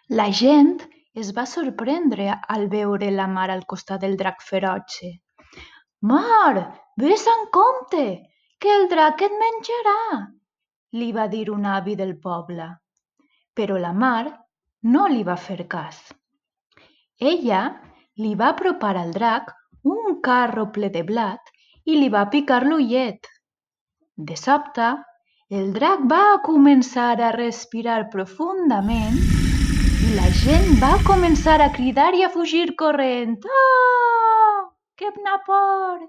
La gent es va sorprendre al veure la mar al costat del drac ferotge. «Mar, vés amb compte, que el drac et menjarà!», li va dir un avi del poble. Però la mar no li va fer cas. Ella li va apropar al drac un carro ple de blat i li va picar l'ullet. De sobte, el drac va començar a respirar profundament i la gent va començar a cridar i a fugir corrent. «Ah! Quina por!».